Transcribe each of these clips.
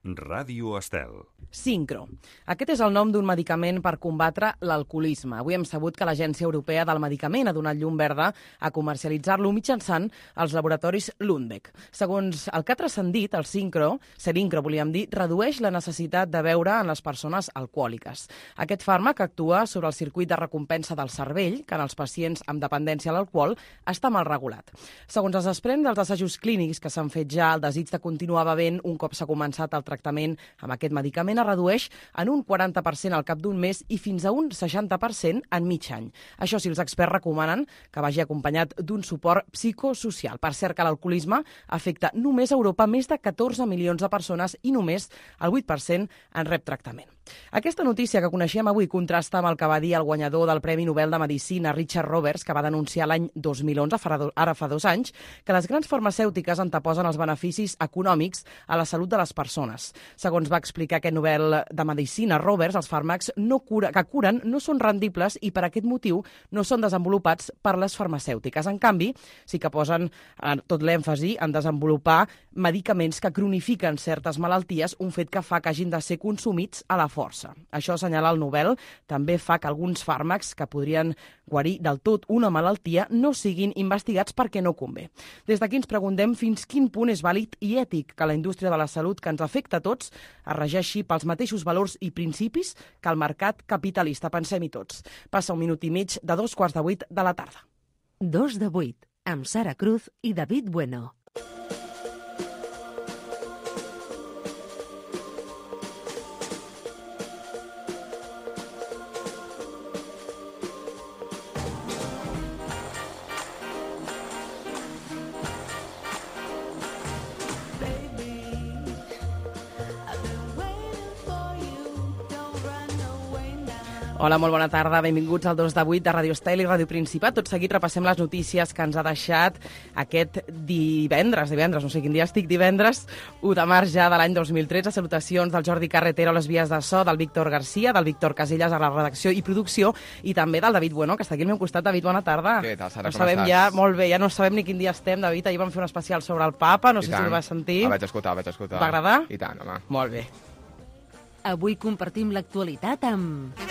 Ràdio Estel. Sincro. Aquest és el nom d'un medicament per combatre l'alcoholisme. Avui hem sabut que l'Agència Europea del Medicament ha donat llum verda a comercialitzar-lo mitjançant els laboratoris Lundbeck. Segons el que ha transcendit, el Sincro, volíem dir, redueix la necessitat de beure en les persones alcohòliques. Aquest fàrmac actua sobre el circuit de recompensa del cervell, que en els pacients amb dependència a l'alcohol està mal regulat. Segons es desprèn dels assajos clínics que s'han fet ja, el desig de continuar bevent un cop s'ha començat el tractament amb aquest medicament es redueix en un 40% al cap d'un mes i fins a un 60% en mig any. Això sí, els experts recomanen que vagi acompanyat d'un suport psicosocial. Per cert, que l'alcoholisme afecta només a Europa més de 14 milions de persones i només el 8% en rep tractament. Aquesta notícia que coneixem avui contrasta amb el que va dir el guanyador del Premi Nobel de Medicina, Richard Roberts, que va denunciar l'any 2011, ara fa 2 anys, que les grans farmacèutiques anteposen els beneficis econòmics a la salut de les persones. Segons va explicar aquest Nobel de Medicina, Roberts, els fàrmacs que curen no són rendibles i per aquest motiu no són desenvolupats per les farmacèutiques. En canvi, sí que posen tot l'èmfasi en desenvolupar medicaments que cronifiquen certes malalties, un fet que fa que hagin de ser consumits a la força. Això, assenyala el Nobel, també fa que alguns fàrmacs que podrien guarir del tot una malaltia no siguin investigats perquè no convé. Des d'aquí ens preguntem fins quin punt és vàlid i ètic que la indústria de la salut que ens afecta a tots es regeixi pels mateixos valors i principis que el mercat capitalista. Pensem-hi tots. Passa 1 minut i mig de 7:45 de la tarda. 2 de 8, amb Sara Cruz i David Bueno. Hola, molt bona tarda. Benvinguts al 2 de 8 de Ràdio Estel i Ràdio Principat. Tot seguit repassem les notícies que ens ha deixat aquest divendres, no sé quin dia estic, divendres 1 de març ja de l'any 2013. Salutacions del Jordi Carretero a les vies de so, del Víctor Garcia, del Víctor Casellas a la redacció i producció i també del David Bueno, que està aquí al meu costat. David, bona tarda. Què tal, Sara, com estàs? Ja, molt bé, ja no sabem ni quin dia estem, David. Ahir vam fer un especial sobre el Papa, no sé si el vas sentir. Vaig escoltar. Va agradar? I tant, home. Molt bé. Avui compartim l'actualitat amb...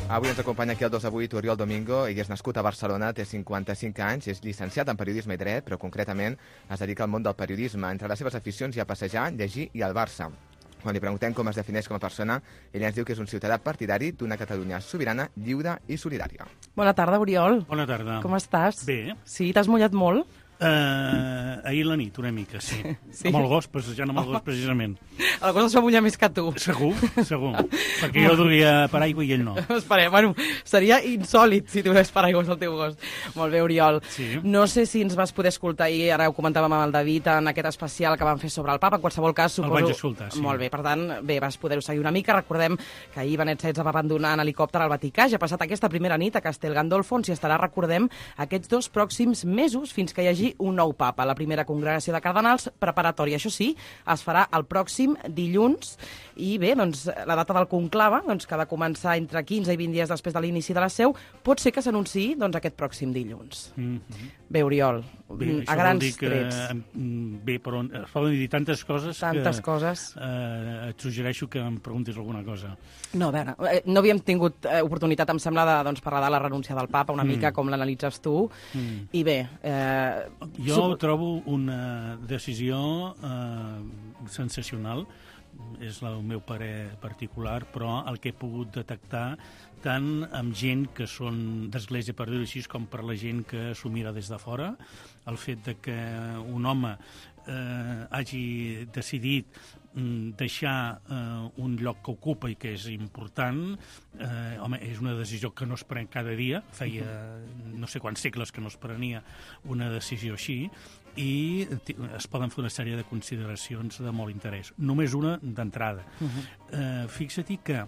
Avui ens acompanya aquí el 2 de 8 Oriol Domingo, ell és nascut a Barcelona, té 55 anys, és llicenciat en Periodisme i Dret, però concretament es dedica al món del periodisme. Entre les seves aficions hi ha passejar, llegir i el Barça. Quan li preguntem com es defineix com a persona, ell ens diu que és un ciutadà partidari d'una Catalunya sobirana, lliure i solidària. Bona tarda, Oriol. Bona tarda. Com estàs? Bé. Sí, t'has mullat molt? Ahir la nit, una mica, sí. Sí. Amb el gos, passejant amb el gos, precisament. El gos es va mullar més que tu. Segur. Perquè jo duia paraigua i ell no. Esperem, bueno, seria insòlit si tingués paraigües al teu gos. Molt bé, Oriol. Sí. No sé si ens vas poder escoltar ahir, ara ho comentàvem amb el David, en aquest especial que vam fer sobre el Papa. En qualsevol cas, suposo... El vaig escoltar, sí. Molt bé, per tant, bé, vas poder-ho seguir una mica. Recordem que ahir Benet XVI va abandonar en helicòpter al Vaticà. Ja ha passat aquesta primera nit a Castel Gandolfo, on s'hi estarà, recordem, aquests 2 pròxims mesos fins que hi hagi un nou Papa. La primera congregació de cardenals preparatòria, això sí, es farà el pròxim dilluns i bé, doncs la data del conclave, doncs, que ha de començar entre 15 i 20 dies després de l'inici de la seu, pot ser que s'anunciï doncs, aquest pròxim dilluns. Bé, Oriol, a grans trets. Bé, però es poden dir tantes coses coses. Et suggereixo que em preguntis alguna cosa. No, a veure, no havíem tingut oportunitat, em sembla, de doncs, parlar de la renúncia del Papa, una mica com l'analitzes tu, i bé... Jo trobo una decisió sensacional, és el meu parer particular, però el que he pogut detectar tant amb gent que són d'església, per dir-ho així, com per la gent que s'ho mira des de fora, el fet de que un home hagi decidit deixar un lloc que ocupa i que és important, home, és una decisió que no es pren cada dia, feia no sé quants segles que no es prenia una decisió així, i es poden fer una sèrie de consideracions de molt interès. Només una d'entrada. Fixa-t'hi que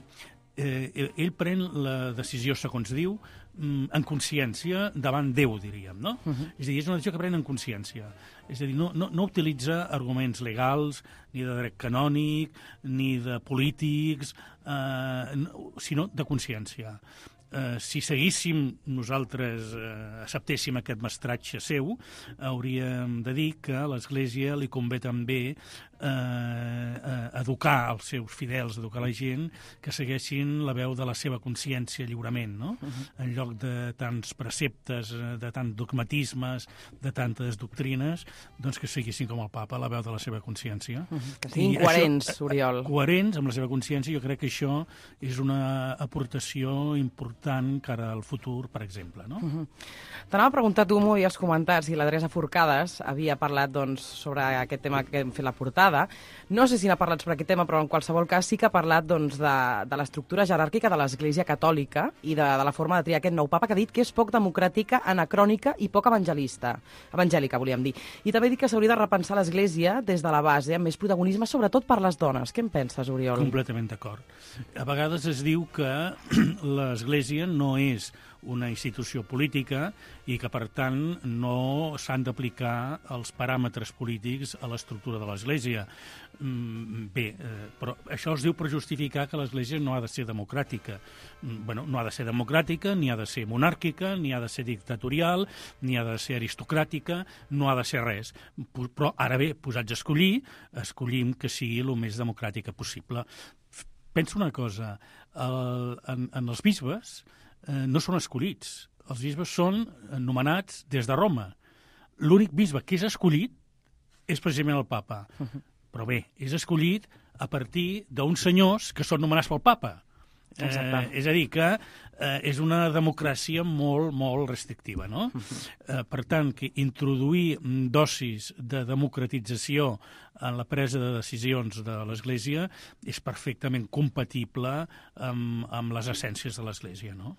ell pren la decisió, segons diu, en consciència davant Déu, diríem, no? És a dir, és una decisió que pren en consciència. És a dir, no utilitza arguments legals, ni de dret canònic, ni de polítics, sinó de consciència. Si seguíssim nosaltres, acceptéssim aquest mestratge seu, hauríem de dir que a l'Església li convé també educar els seus fidels, educar la gent que segueixin la veu de la seva consciència lliurement, no? En lloc de tants preceptes, de tants dogmatismes, de tantes doctrines, doncs que seguissin com el papa la veu de la seva consciència. Que siguin coherents, Oriol. Coherents amb la seva consciència, jo crec que això és una aportació important cara al futur, per exemple, no? T'anava a preguntar, tu m'ho havies comentat, si l'Adrià Forcades havia parlat sobre aquest tema que hem fet la portada. No sé si n'ha parlat sobre aquest tema, però en qualsevol cas sí que ha parlat de l'estructura jeràrquica de l'Església Catòlica i de la forma de triar aquest nou papa, que ha dit que és poc democràtica, anacrònica i poc evangèlica, volíem dir. I també ha dit que s'hauria de repensar l'Església des de la base, amb més protagonisme, sobretot per les dones. Què en penses, Oriol? Completament d'acord. A vegades es diu que l'Església no és una institució política i que, per tant, no s'han d'aplicar els paràmetres polítics a l'estructura de l'Església. Però això es diu per justificar que l'Església no ha de ser democràtica. No ha de ser democràtica, ni ha de ser monàrquica, ni ha de ser dictatorial, ni ha de ser aristocràtica, no ha de ser res. Però ara bé, posats a escollir, escollim que sigui el més democràtica possible. Penso una cosa, en els bisbes no són escollits. Els bisbes són nomenats des de Roma. L'únic bisbe que és escollit és precisament el papa. Però bé, és escollit a partir d'uns senyors que són nomenats pel papa. És a dir, que és una democràcia molt, molt restrictiva, no? Per tant, que introduir dosis de democratització en la presa de decisions de l'Església és perfectament compatible amb les essències de l'Església, no?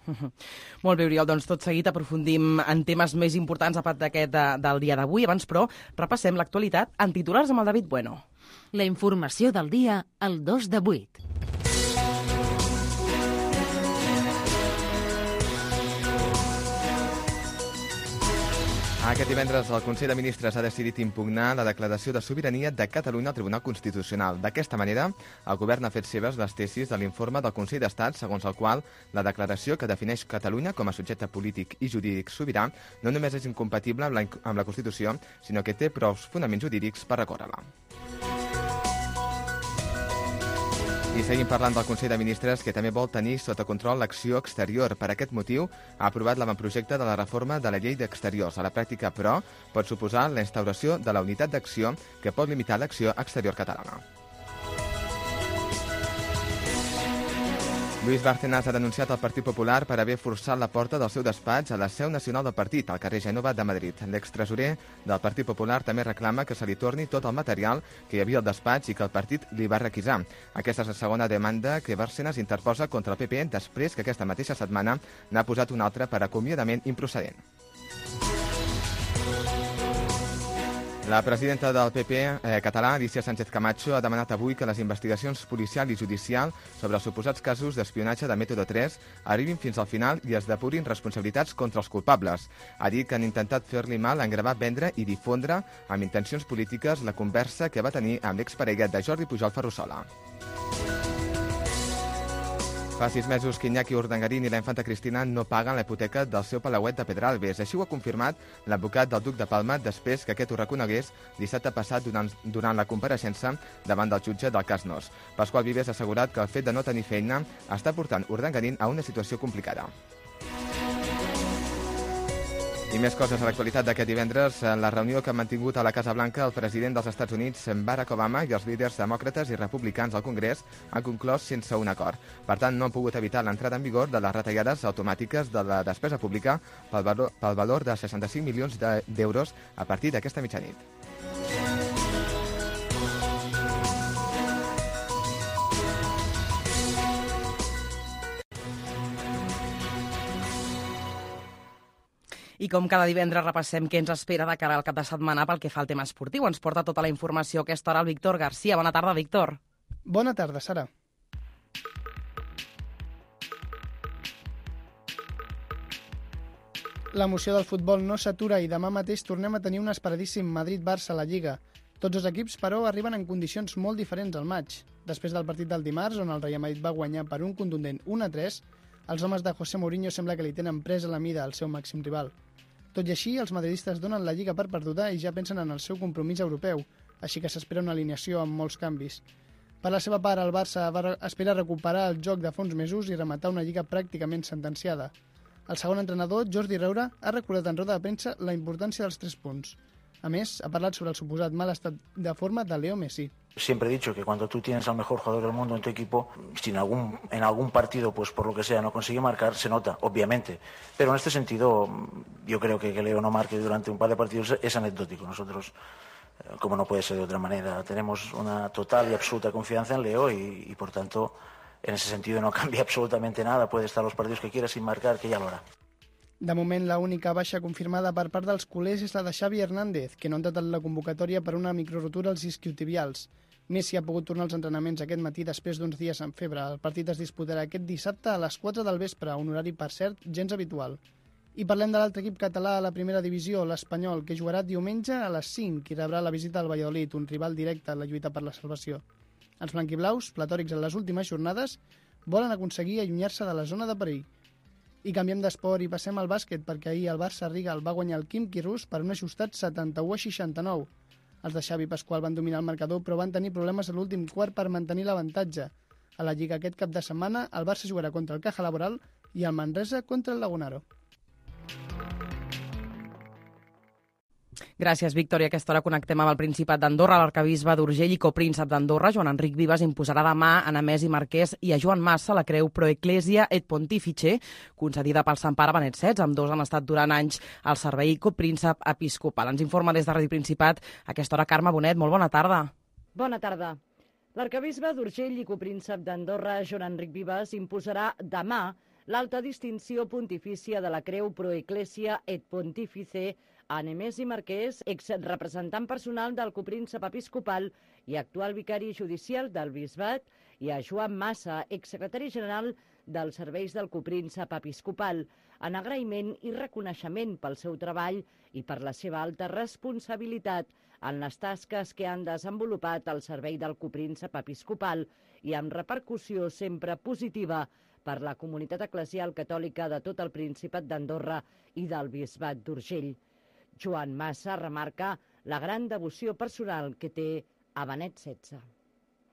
Molt bé, Oriol, doncs tot seguit aprofundim en temes més importants a part d'aquest del dia d'avui. Abans, però, repassem l'actualitat en titulars amb el David Bueno. La informació del dia al 2 de 8. Aquest divendres el Consell de Ministres ha decidit impugnar la declaració de sobirania de Catalunya al Tribunal Constitucional. D'aquesta manera, el govern ha fet seves les tesis de l'informe del Consell d'Estat, segons el qual la declaració que defineix Catalunya com a subjecte polític i jurídic sobirà no només és incompatible amb la Constitució, sinó que té prou fonaments jurídics per recórrer-la. I seguim parlant del Consell de Ministres, que també vol tenir sota control l'acció exterior. Per aquest motiu, ha aprovat l'avantprojecte de la reforma de la llei d'exteriors. A la pràctica, però, pot suposar la instauració de la unitat d'acció que pot limitar l'acció exterior catalana. Luis Bárcenas ha denunciat el Partit Popular per haver forçat la porta del seu despatx a la seu nacional del partit, al carrer Gènova de Madrid. L'extresorer del Partit Popular també reclama que se li torni tot el material que hi havia al despatx i que el partit li va requisar. Aquesta és la segona demanda que Bárcenas interposa contra el PP després que aquesta mateixa setmana n'ha posat una altra per acomiadament improcedent. La presidenta del PP català, Alicia Sánchez Camacho, ha demanat avui que les investigacions policial i judicial sobre els suposats casos d'espionatge de Método 3 arribin fins al final i es depurin responsabilitats contra els culpables. Ha dit que han intentat fer-li mal en gravar, vendre i difondre amb intencions polítiques la conversa que va tenir amb l'exparella de Jordi Pujol, Ferrusola. Fa 6 mesos que Iñaki Urdangarín i la infanta Cristina no paguen la hipoteca del seu palauet de Pedralbes. Així ho ha confirmat l'advocat del duc de Palma després que aquest ho reconegués dissabte passat durant la compareixença davant del jutge del cas Nos. Pasqual Vives ha assegurat que el fet de no tenir feina està portant Urdangarín a una situació complicada. I més coses a l'actualitat d'aquest divendres. En la reunió que han mantingut a la Casa Blanca el president dels Estats Units, Barack Obama, i els líders demòcrates i republicans al Congrés han conclòs sense un acord. Per tant, no han pogut evitar l'entrada en vigor de les retallades automàtiques de la despesa pública pel valor de 65 milions d'euros a partir d'aquesta mitjanit. I com cada divendres repassem què ens espera de cara al cap de setmana pel que fa al tema esportiu. Ens porta tota la informació a aquesta hora el Víctor García. Bona tarda, Víctor. Bona tarda, Sara. L'emoció del futbol no s'atura i demà mateix tornem a tenir un esperadíssim Madrid-Barça a la Lliga. Tots els equips, però, arriben en condicions molt diferents al maig. Després del partit del dimarts, on el Real Madrid va guanyar per un contundent 1-3, els homes de José Mourinho sembla que li tenen presa la mida al seu màxim rival. Tot i així, els madridistes donen la Lliga per perduda i ja pensen en el seu compromís europeu, així que s'espera una alineació amb molts canvis. Per la seva part, el Barça espera recuperar el joc de fa uns mesos i rematar una Lliga pràcticament sentenciada. El segon entrenador, Jordi Reura, ha recordat en roda de premsa la importància dels 3 punts. A més, ha parlat sobre el suposat mal estat de forma de Leo Messi. Siempre he dicho que cuando tú tienes al mejor jugador del mundo en tu equipo, si en algún partido, pues por lo que sea, no consigue marcar, se nota, obviamente. Pero en este sentido, yo creo que Leo no marque durante un par de partidos es anecdótico. Nosotros, como no puede ser de otra manera, tenemos una total y absoluta confianza en Leo y por tanto, en ese sentido no cambia absolutamente nada. Puede estar los partidos que quiera sin marcar, que ya lo hará. De moment, l'única baixa confirmada per part dels culers és la de Xavi Hernández, que no ha entrat en la convocatòria per una microrotura als isquiotibials. Messi ha pogut tornar als entrenaments aquest matí després d'uns dies amb febre. El partit es disputarà aquest dissabte a les 4 del vespre, un horari, per cert, gens habitual. I parlem de l'altre equip català a la primera divisió, l'Espanyol, que jugarà diumenge a les 5 i rebrà la visita al Valladolid, un rival directe en la lluita per la salvació. Els blanquiblaus, platòrics en les últimes jornades, volen aconseguir allunyar-se de la zona de perill. I canviem d'esport i passem al bàsquet, perquè ahir el Barça Riga el va guanyar el Khimki Rus per un ajustat 71-69. Els de Xavi Pasqual van dominar el marcador, però van tenir problemes a l'últim quart per mantenir l'avantatge. A la Lliga aquest cap de setmana, el Barça jugarà contra el Caja Laboral i el Manresa contra el Lagunaro. Gràcies, Víctor. I a aquesta hora connectem amb el Principat d'Andorra. L'arcabisbe d'Urgell i copríncep d'Andorra, Joan Enric Vives, imposarà demà a Nemesi Marquès i a Joan Massa la creu Pro Ecclesia et Pontifice, concedida pel Sant Pare Benet XVI. Ambdós han estat durant anys al servei copríncep episcopal. Ens informa des de Ràdio Principat a aquesta hora Carme Bonet. Molt bona tarda. Bona tarda. L'arcabisbe d'Urgell i copríncep d'Andorra, Joan Enric Vives, imposarà demà l'alta distinció pontifícia de la creu Pro Ecclesia et Pontifice a Nemesi Marquès, exrepresentant personal del copríncep episcopal i actual vicari judicial del bisbat, i a Joan Massa, exsecretari general dels serveis del copríncep episcopal, en agraïment i reconeixement pel seu treball i per la seva alta responsabilitat en les tasques que han desenvolupat al servei del copríncep episcopal i amb repercussió sempre positiva per la comunitat eclesial catòlica de tot el Principat d'Andorra i del bisbat d'Urgell. Joan Massa remarca la gran devoció personal que té a Benet XVI.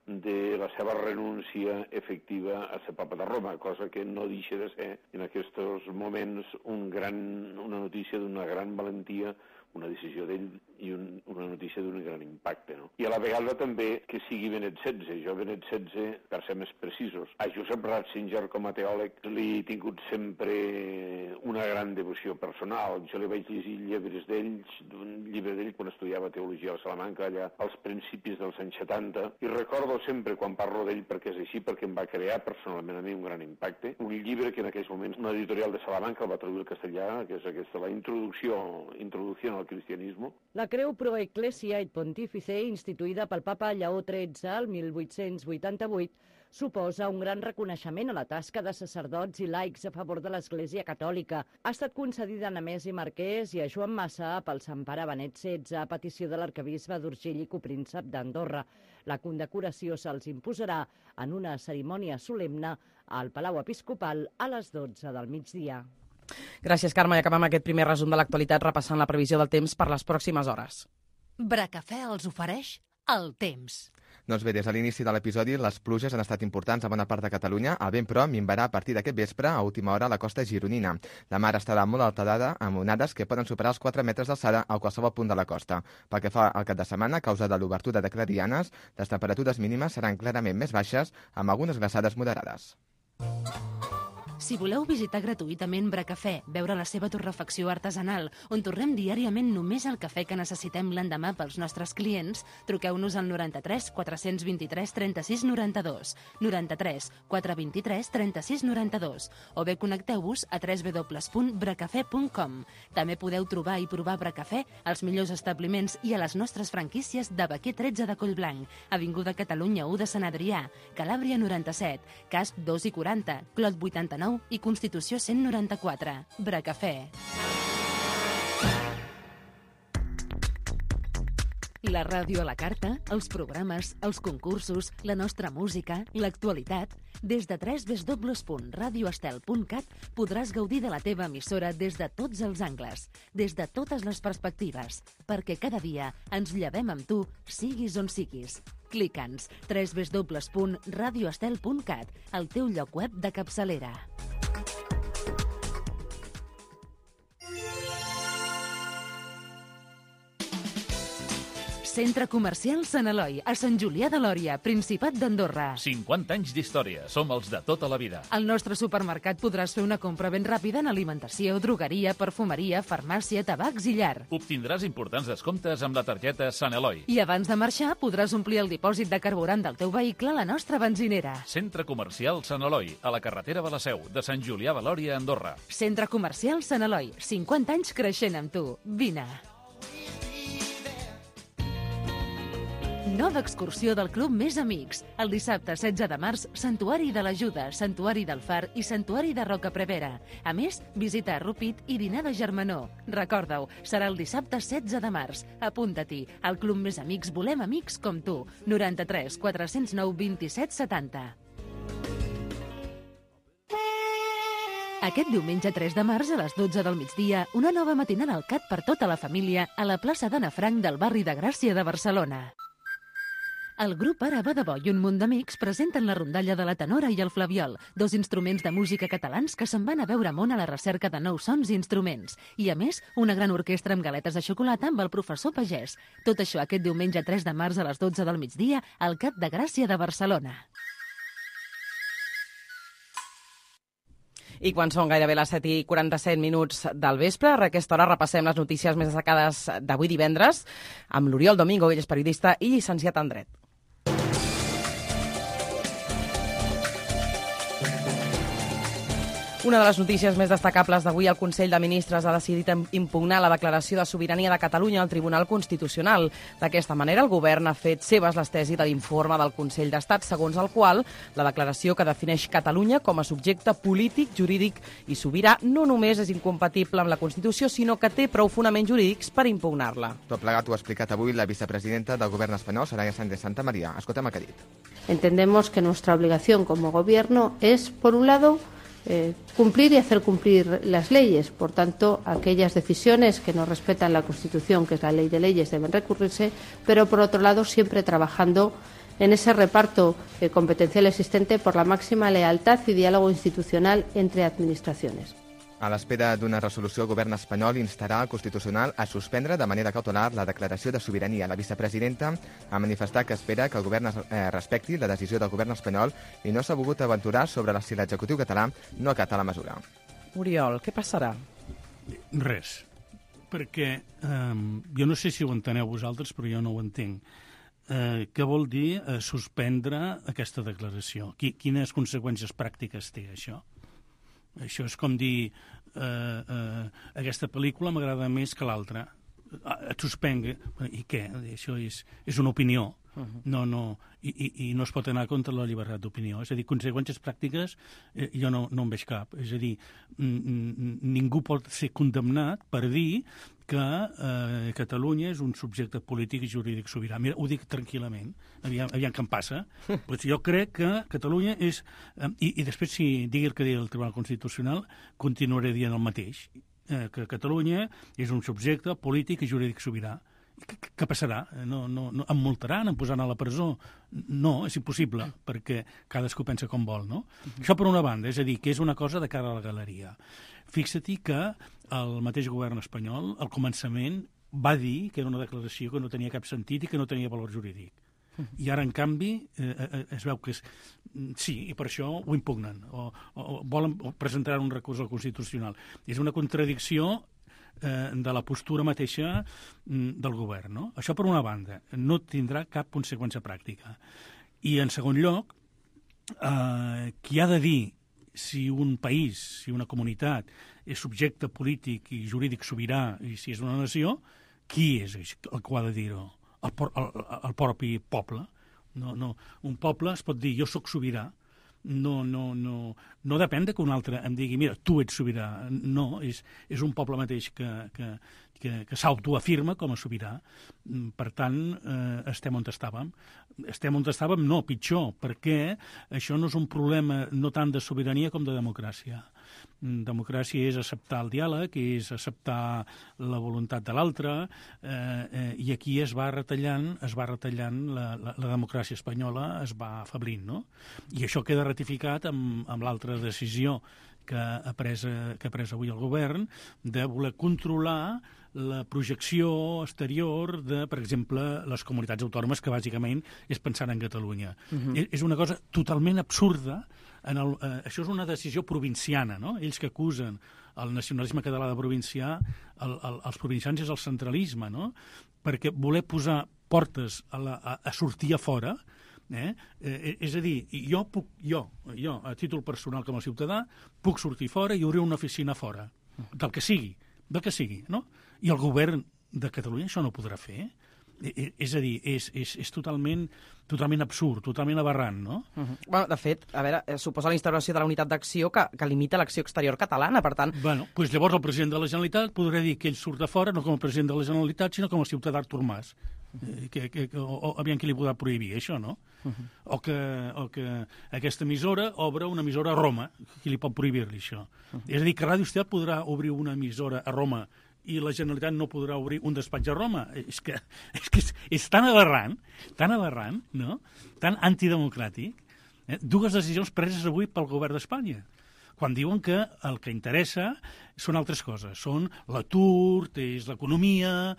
De la seva renúncia efectiva a ser papa de Roma, cosa que no deixa de ser en aquests moments una notícia d'una gran valentia, una decisió d'ell i una notícia d'un gran impacte. No? I a la vegada també que sigui Benet XVI. Jo Benet XVI, per ser més precisos, a Josep Ratzinger com a teòleg li he tingut sempre una gran devoció personal. Jo li vaig llegir llibres d'ells, d'un llibre d'ell quan estudiava teologia a Salamanca, allà als principis dels anys 70, i recordo sempre quan parlo d'ell perquè és així, perquè em va crear personalment a mi un gran impacte. Un llibre que en aquells moments una editorial de Salamanca el va traduir al castellà, que és aquesta, la introducció al cristianisme. La creu Pro Ecclesia et Pontifice, instituïda pel papa Lleó XIII el 1888, suposa un gran reconeixement a la tasca de sacerdots i laics a favor de l'Església Catòlica. Ha estat concedida a Nemesi Marquès i a Joan Massa pel Sant Pare Benet XVI a petició de l'arcabisbe d'Urgell i copríncep d'Andorra. La condecoració se'ls imposarà en una cerimònia solemne al Palau Episcopal a les 12 del migdia. Gràcies, Carme. I acabem aquest primer resum de l'actualitat repassant la previsió del temps per les pròximes hores. Bracafè els ofereix el temps. Doncs bé, des de l'inici de l'episodi, les pluges han estat importants a bona part de Catalunya. El vent, però, minvarà a partir d'aquest vespre a última hora a la costa gironina. La mar estarà molt alterada amb onades que poden superar els 4 metres d'alçada a qualsevol punt de la costa. Pel que fa al cap de setmana, a causa de l'obertura de clarianes, les temperatures mínimes seran clarament més baixes, amb algunes glaçades moderades. Si voleu visitar gratuïtament Bracafè, veure la seva torrefacció artesanal, on torrem diàriament només el cafè que necessitem l'endemà pels nostres clients, truqueu-nos al 93 423 36 92, 93 423 36 92, o bé connecteu-vos a www.bracafè.com. També podeu trobar i provar Bracafè als millors establiments i a les nostres franquícies de Baquer 13 de Collblanc, Avinguda Catalunya 1 de Sant Adrià, Calàbria 97, Casp 2 i 40, Clot 89 i Constitució 194. Bracafè. La ràdio a la carta, els programes, els concursos, la nostra música, l'actualitat. Des de www.radioestel.cat podràs gaudir de la teva emissora des de tots els angles, des de totes les perspectives, perquè cada dia ens llevem amb tu, siguis on siguis. Clica'ns www.radioestel.cat, el teu lloc web de capçalera. Centre Comercial Sant Eloi, a Sant Julià de Lòria, Principat d'Andorra. 50 anys d'història. Som els de tota la vida. Al nostre supermercat podràs fer una compra ben ràpida en alimentació, drogueria, perfumeria, farmàcia, tabacs i llar. Obtindràs importants descomptes amb la targeta Sant Eloi. I abans de marxar podràs omplir el dipòsit de carburant del teu vehicle a la nostra benzinera. Centre Comercial Sant Eloi, a la carretera de la Seu, de Sant Julià de Lòria, Andorra. Centre Comercial Sant Eloi, 50 anys creixent amb tu. Vine. Nova excursió del Club Més Amics. El dissabte 16 de març, Santuari de l'Ajuda, Santuari del Far i Santuari de Rocaprevera. A més, visita a Rupit i dinar de germanor. Recorda-ho, serà el dissabte 16 de març. Apunta-t'hi. Al Club Més Amics volem amics com tu. 93 409 27 70. Aquest diumenge 3 de març a les 12 del migdia, una nova matinada al CAT per tota la família a la plaça d'Anna Frank del barri de Gràcia de Barcelona. El grup Ara va de bo i un munt d'amics presenten la rondalla de la tenora i el flabiol, dos instruments de música catalans que se'n van a veure món a la recerca de nous sons i instruments. I, a més, una gran orquestra amb galetes de xocolata amb el professor Pagès. Tot això aquest diumenge 3 de març a les 12 del migdia al CAT de Gràcia de Barcelona. I quan són gairebé les 7:47 del vespre, a aquesta hora repassem les notícies més destacades d'avui divendres amb l'Oriol Domingo, ell és periodista i llicenciat en Dret. Una de les notícies més destacables d'avui, el Consell de Ministres ha decidit impugnar la declaració de sobirania de Catalunya al Tribunal Constitucional. D'aquesta manera, el govern ha fet seves les tesis de l'informe del Consell d'Estat, segons el qual la declaració que defineix Catalunya com a subjecte polític, jurídic i sobirà no només és incompatible amb la Constitució, sinó que té prou fonaments jurídics per impugnar-la. Tot plegat ho ha explicat avui la vicepresidenta del govern espanyol, Soraya Sánchez Santamaría. Escoltem el que ha dit. Entendemos que nuestra obligación como gobierno es, por un lado, cumplir y hacer cumplir las leyes. Por tanto, aquellas decisiones que no respetan la Constitución, que es la ley de leyes, deben recurrirse, pero por otro lado siempre trabajando en ese reparto competencial existente por la máxima lealtad y diálogo institucional entre administraciones. A l'espera d'una resolució, el govern espanyol instarà el Constitucional a suspendre de manera cautelar la declaració de sobirania. La vicepresidenta ha manifestat que espera que el govern respecti la decisió del govern espanyol i no s'ha volgut aventurar sobre si l'executiu català no acata la mesura. Oriol, què passarà? Res, perquè jo no sé si ho enteneu vosaltres, però jo no ho entenc. Què vol dir suspendre aquesta declaració? Quines conseqüències pràctiques té això? Això és com dir aquesta pel·lícula m'agrada més que l'altra. Et suspenga. I què? Això és una opinió. I no es pot anar contra la llibertat d'opinió. És a dir, conseqüències pràctiques jo no en veig cap. És a dir, ningú pot ser condemnat per dir que Catalunya és un subjecte polític i jurídic sobirà. Mira, ho dic tranquil·lament, aviam què em passa. Pues jo crec que Catalunya és... I després, si digui el que digui el Tribunal Constitucional, continuaré dient el mateix, que Catalunya és un subjecte polític i jurídic sobirà. Què passarà? No, em multaran, em posaran a la presó? No, és impossible, perquè cadascú pensa com vol, no? Això per una banda, és a dir, que és una cosa de cara a la galeria. Fixa't que el mateix govern espanyol, al començament, va dir que era una declaració que no tenia cap sentit i que no tenia valor jurídic. I ara, en canvi, es veu que sí, i per això ho impugnen, o volen presentar un recurs al Constitucional. És una contradicció de la postura mateixa del govern, no? Això per una banda, no tindrà cap conseqüència pràctica. I en segon lloc, qui ha de dir si un país, si una comunitat és subjecte polític i jurídic sobirà i si és una nació, qui és el que ho ha de dir-ho? El propi poble. No. Un poble es pot dir jo sóc sobirà, no depèn que un altre em digui mira, tu ets sobirà. No, és un poble mateix que s'autoafirma com a sobirà. Per tant, estem on estàvem. Estem on estàvem, no, pitjor, perquè això no és un problema no tant de sobirania com de democràcia. Democràcia és acceptar el diàleg, és acceptar la voluntat de l'altre, i aquí es va retallant la democràcia espanyola, es va afablint, no? I això queda ratificat amb l'altra decisió que ha pres avui el govern de voler controlar la projecció exterior de, per exemple, les comunitats autònomes, que bàsicament és pensant en Catalunya. És una cosa totalment absurda. Això és una decisió provinciana, no? Ells que acusen el nacionalisme català de provincià, els provincians és el centralisme, no? Perquè voler posar portes a sortir a fora, és a dir, jo, a títol personal com a ciutadà, puc sortir fora i obrir una oficina fora, del que sigui, no? I el govern de Catalunya això no ho podrà fer. És a dir, és totalment absurd, totalment aberrant, no? Bueno, de fet, a veure, suposa la instauració de la unitat d'acció que limita l'acció exterior catalana, per tant... Bueno, doncs llavors el president de la Generalitat podrà dir que ell surt de fora no com a president de la Generalitat, sinó com a ciutadà Artur Mas. Aviam qui li podrà prohibir això, no? O que aquesta emissora obre una emissora a Roma, qui li pot prohibir-li això? És a dir, que Ràdio Estel podrà obrir una emissora a Roma i la Generalitat no podrà obrir un despatx a Roma. És que és tan aberrant, no? Tan antidemocràtic. Dues decisions preses avui pel govern d'Espanya, quan diuen que el que interessa són altres coses. Són l'atur, és l'economia,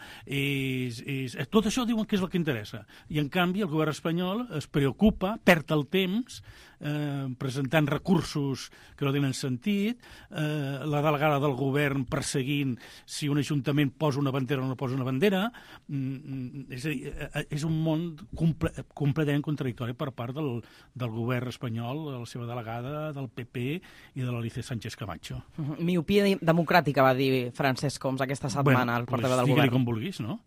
tot això diuen que és el que interessa. I, en canvi, el govern espanyol es preocupa, perd el temps, presentant recursos que no tenen sentit, la delegada del govern perseguint si un ajuntament posa una bandera o no posa una bandera. És a dir, és un món completament contradictori per part del govern espanyol, de la seva delegada, del PP i de l'Alicia Sánchez Camacho. Miopia democràtica, va dir Francesc Homs aquesta setmana, el portaveu del govern. Digue-li com vulguis, no?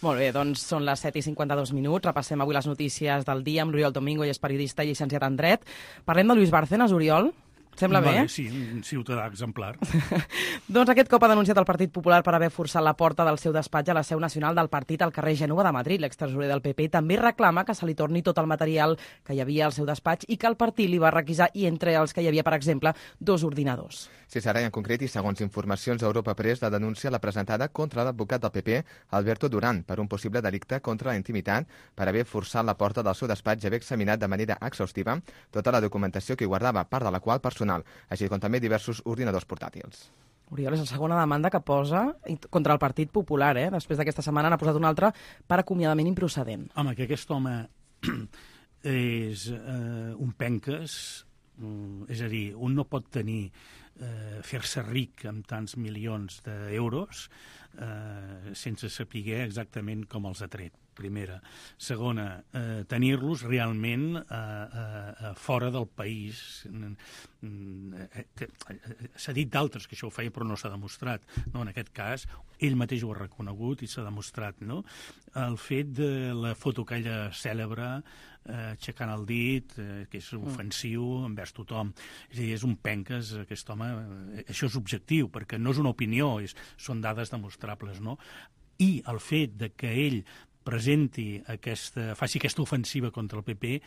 Molt bé, doncs són les 7:52. Repassem avui les notícies del dia amb l'Oriol Domingo, i és periodista i llicenciat en Dret. Parlem de Luis Bárcenas, Oriol. Sembla bé? Sí, un ciutadà exemplar. Doncs aquest cop ha denunciat el Partit Popular per haver forçat la porta del seu despatx a la seu nacional del partit al carrer Gènova de Madrid. L'extresorer del PP també reclama que se li torni tot el material que hi havia al seu despatx i que el partit li va requisar, i entre els que hi havia, per exemple, 2 ordinadors. Sí, Sara, en concret, i segons informacions d'Europa Press, la denúncia l'ha presentada contra l'advocat del PP, Alberto Durán, per un possible delicte contra la intimitat per haver forçat la porta del seu despatx i haver examinat de manera exhaustiva tota la documentació que hi guardava, part de la qual personal, així com també diversos ordinadors portàtils. Oriol, és la segona demanda que posa contra el Partit Popular, Després d'aquesta setmana n'ha posat una altra per acomiadament improcedent. Home, que aquest home és un penques, és a dir, un no pot tenir fer-se ric amb tants milions d'euros sense saber exactament com els ha tret. Primera. Segona, tenir-los realment fora del país. S'ha dit d'altres que això ho feia, però no s'ha demostrat. No, en aquest cas, ell mateix ho ha reconegut i s'ha demostrat. No? El fet de la foto aquella cèlebre, aixecant el dit, que és ofensiu envers tothom. És a dir, és un penques, aquest home. Això és objectiu, perquè no és una opinió, són dades demostrables. No? I el fet de que ell faci aquesta ofensiva contra el PP,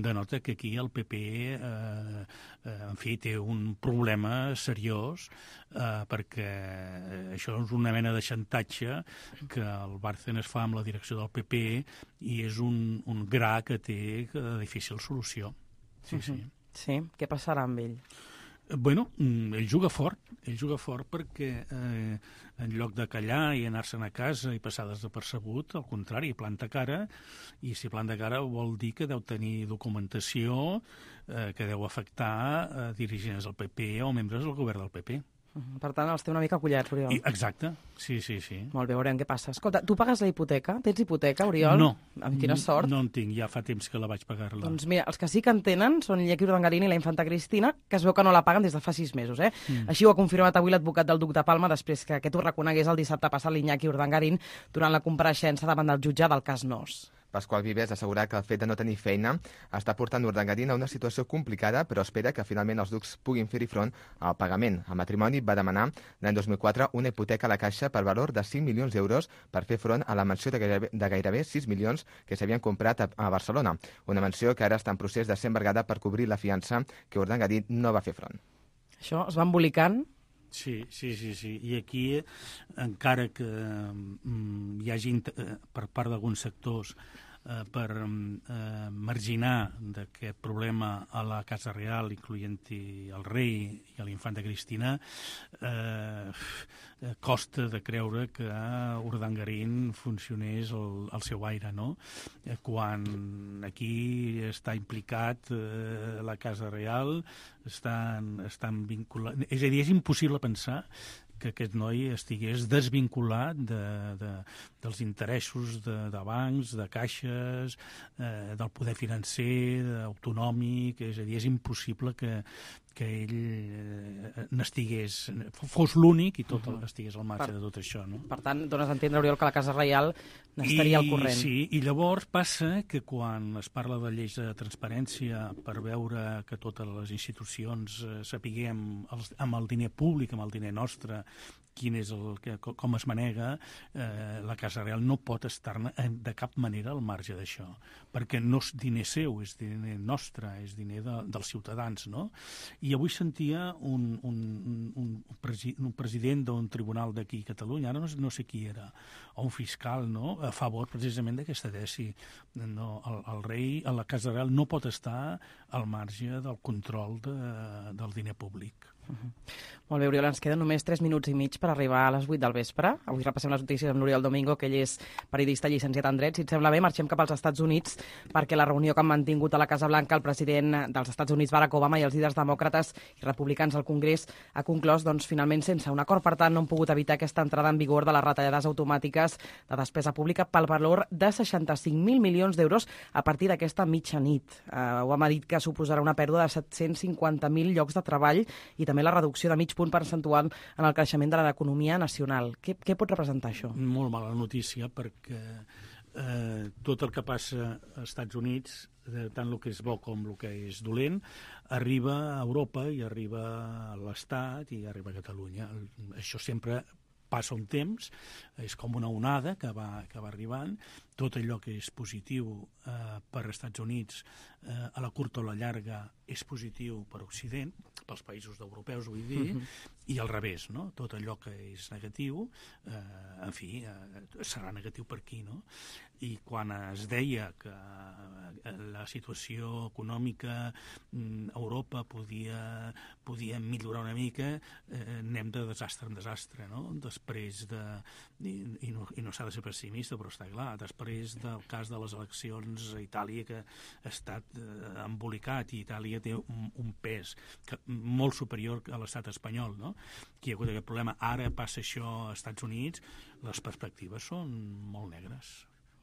denota que aquí el PP en fi, té un problema seriós, perquè això és una mena de xantatge que el Bárcenas fa amb la direcció del PP i és un gra que té de difícil solució. Sí, sí. Sí, què passarà amb ell? Bueno, ell juga fort perquè en lloc de callar i anar-se'n a casa i passar desapercebut, al contrari, planta cara, i si planta cara vol dir que deu tenir documentació que deu afectar dirigents del PP o membres del govern del PP. Per tant, els té una mica collats, Oriol. Exacte, sí. Molt bé, veurem què passa. Escolta, tu pagues la hipoteca? Tens hipoteca, Oriol? No. Amb quina sort? No en tinc, ja fa temps que la vaig pagar-la. Doncs mira, els que sí que en tenen són Iñaki Urdangarín i la infanta Cristina, que es veu que no la paguen des de fa 6 mesos. Així ho ha confirmat avui l'advocat del Duc de Palma després que aquest ho reconegués el dissabte passat l'Iñaki Urdangarín durant la compareixença davant del jutge del cas Nos. Pasqual Vives ha assegurat que el fet de no tenir feina està portant Urdangarín a una situació complicada, però espera que finalment els ducs puguin fer-hi front al pagament. El matrimoni va demanar l'any 2004 una hipoteca a la Caixa per valor de 5 milions d'euros per fer front a la mansió de gairebé 6 milions que s'havien comprat a Barcelona. Una mansió que ara està en procés de ser embargada per cobrir la fiança que Urdangarín no va fer front. Això es va embolicant? Sí. I aquí, encara que hi hagi per part d'alguns sectors per marginar d'aquest problema a la Casa Real, incloent-hi el rei i l'infanta Cristina, costa de creure que Urdangarín funcionés al seu aire, no? Quan aquí està implicat la Casa Real, estan vinculats... És a dir, és impossible pensar que aquest noi estigués desvinculat dels interessos de bancs, de caixes, del poder financer, autonòmic. És a dir, és impossible que ell fos l'únic i tot estigués al marge de tot això, no? Per tant, dones a entendre, Oriol, que la Casa Reial n'estaria al corrent. Sí, i llavors passa que quan es parla de lleis de transparència per veure que totes les institucions sapiguem amb el diner públic, amb el diner nostre, com es manega, la Casa Real no pot estar-ne de cap manera al marge d'això, perquè no és diner seu, és diner nostre, és diner dels ciutadans, no? I avui sentia un president d'un tribunal d'aquí a Catalunya, ara no sé qui era, o un fiscal, no?, a favor precisament d'aquesta tesi. No, el rei a la Casa Real no pot estar al marge del control del diner públic. Molt bé, Oriol, ens queden només 3 minuts i mig per arribar a les 8 del vespre. Avui repassem les notícies amb l'Oriol Domingo, que ell és periodista llicenciat en dret. Si et sembla bé, marxem cap als Estats Units, perquè la reunió que han mantingut a la Casa Blanca el president dels Estats Units, Barack Obama, i els líders demòcrates i republicans al Congrés ha conclòs, finalment sense un acord. Per tant, no han pogut evitar aquesta entrada en vigor de les retallades automàtiques de despesa pública pel valor de 65.000 milions d'euros a partir d'aquesta mitjanit. Obama ha dit que suposarà una pèrdua de 750.000 llocs de treball i també la reducció de mig punt percentual en el creixement de l'economia nacional. Què pot representar això? Molt mala notícia, perquè tot el que passa als Estats Units, tant el que és bo com el que és dolent, arriba a Europa i arriba a l'Estat i arriba a Catalunya. Això sempre passa un temps, és com una onada que va arribant. Tot allò que és positiu per als Estats Units, a la curta o la llarga, és positiu per Occident, pels països europeus, vull dir, i al revés, no? Tot allò que és negatiu, en fi, serà negatiu per aquí, no? I quan es deia que la situació econòmica a Europa podia millorar una mica, anem de desastre en desastre, no? Després i no s'ha de ser pessimista, però està clar, després del cas de les eleccions a Itàlia, que ha estat embolicat, i Itàlia té un pes molt superior a l'estat espanyol, no? Que hi ha hagut aquest problema. Ara passa això als Estats Units, les perspectives són molt negres.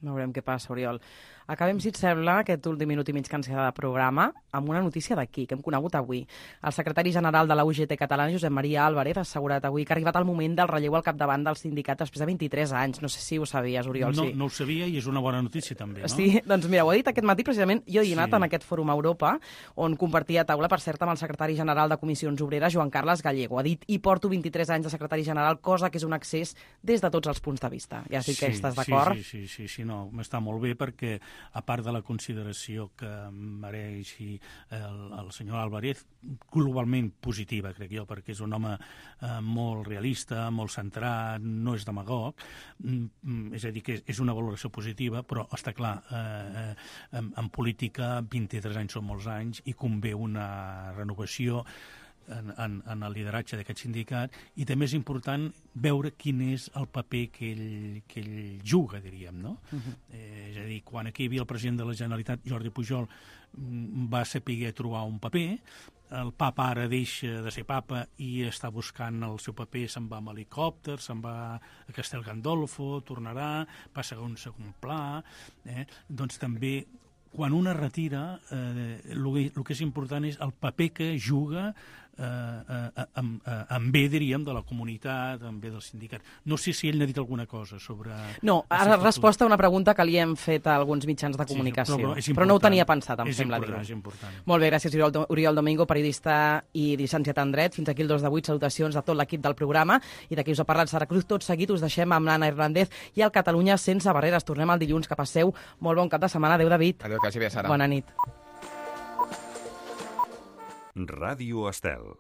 Veurem què passa, Oriol. Acabem, si et sembla, aquest últim minut i mig que ens queda de programa amb una notícia d'aquí, que hem conegut avui. El secretari general de la UGT catalana, Josep Maria Álvarez, ha assegurat avui que ha arribat el moment del relleu al capdavant del sindicat després de 23 anys. No sé si ho sabies, Oriol. No, sí. No ho sabia, i és una bona notícia també, no? Sí, doncs mira, ho ha dit aquest matí precisament. Jo he dinat en aquest fòrum Europa, on compartia taula, per cert, amb el secretari general de Comissions Obreres, Joan Carles Gallego. Ha dit, i porto 23 anys de secretari general, cosa que és un accés des de tots els punts de vista. Ja sé que estàs d'acord. Sí, no, m'està molt bé, perquè a part de la consideració que mereix el senyor Álvarez, globalment positiva, crec jo, perquè és un home molt realista, molt centrat, no és demagog, és a dir, que és una valoració positiva, però està clar, en política 23 anys són molts anys i convé una renovació en el lideratge d'aquest sindicat, i també és important veure quin és el paper que ell juga, diríem, no? És a dir, quan aquí hi havia el president de la Generalitat, Jordi Pujol, va saber trobar un paper. El papa ara deixa de ser papa i està buscant el seu paper, se'n va amb helicòpter, se'n va a Castel Gandolfo, tornarà, passa a un segon pla, doncs també quan una retira, el que és important és el paper que juga en bé, diríem, de la comunitat, en bé del sindicat. No sé si ell n'ha dit alguna cosa sobre... No, ha respost a una pregunta que li hem fet a alguns mitjans de comunicació, però no ho tenia pensat, em sembla dir-ho. És important. Molt bé, gràcies Oriol Domingo, periodista i llicenciat en dret. Fins aquí el 2 de 8, salutacions a tot l'equip del programa, i d'aquí us ha parlat Sara Cruz. Tot seguit us deixem amb l'Anna Hernández i el Catalunya sense barreres. Tornem el dilluns, que passeu molt bon cap de setmana. Adéu, David. Adéu, que vagi bé, Sara. Bona nit. Ràdio Estel.